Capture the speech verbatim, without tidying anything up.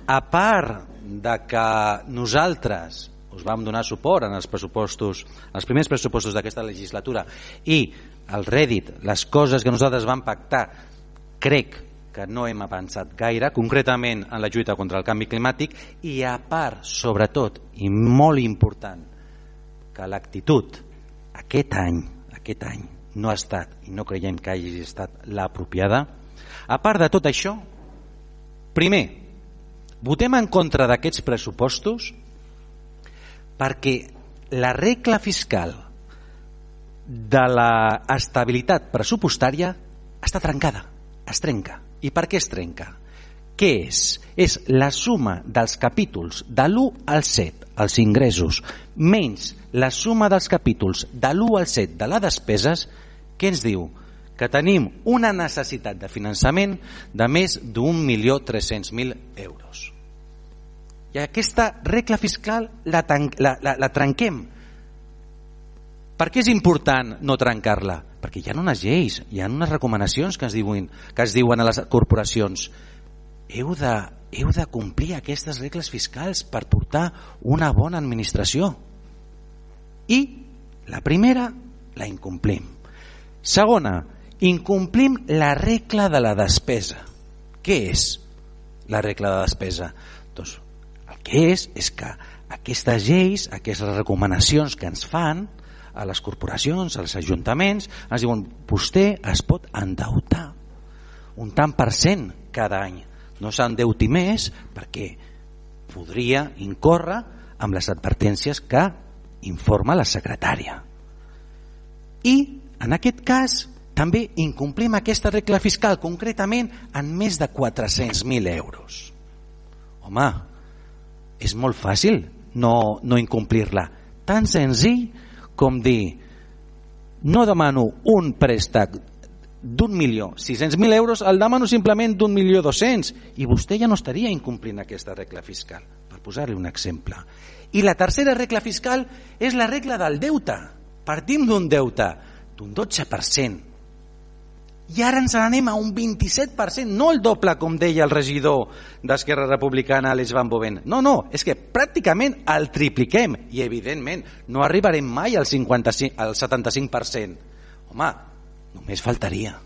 a part de que nosaltres us vam donar suport en els pressupostos, els primers pressupostos d'aquesta legislatura, i el rèdit, les coses que nosaltres vam pactar, crec que no hem avançat gaire, concretament en la lluita contra el canvi climàtic, i a part, sobretot, i molt important, que l'actitud aquest any, aquest any no ha estat, i no creiem que hagi estat l'apropiada. A part de tot això, primer, votem en contra d'aquests pressupostos perquè la regla fiscal de l'estabilitat pressupostària està trencada, es trenca. I per què es trenca? Què és? És la suma dels capítols de l'u al set, els ingressos, menys la suma dels capítols de l'u al set de les despeses, que ens diu que tenim una necessitat de finançament de més d'un milió tres-cents mil euros. I aquesta regla fiscal la, la, la, la trenquem. Per què és important no trencar-la? Perquè hi ha unes lleis, hi ha unes recomanacions que es diuen, que es diuen a les corporacions. Heu de, heu de complir aquestes regles fiscals per portar una bona administració. I la primera la incomplim. Segona, incomplim la regla de la despesa. Què és la regla de despesa? Doncs el que és és que aquestes lleis, aquestes recomanacions que ens fan a les corporacions, als ajuntaments, ens diuen vostè es pot endeutar un tant per cent cada any. No s'endeuti més perquè podria incórrer amb les advertències que informa la secretària. I en aquest cas també incomplim aquesta regla fiscal, concretament en més de quatre-cents mil euros. Home, és molt fàcil no, no incomplir-la. Tan senzill com dir no demano un préstec d'un milió sis-cents mil euros, el demano simplement d'un milió dos-cents, i vostè ja no estaria incomplint aquesta regla fiscal, per posar-li un exemple. I la tercera regla fiscal és la regla del deute. Partim d'un deute d'un dotze per cent i ara ens n'anem a un vint-i-set per cent, no el doble com deia el regidor d'Esquerra Republicana Àlex Van Boven, no, no, és que pràcticament el tripliquem i evidentment no arribarem mai al, cinquanta-cinc, al setanta-cinc per cent. Home, només faltaria.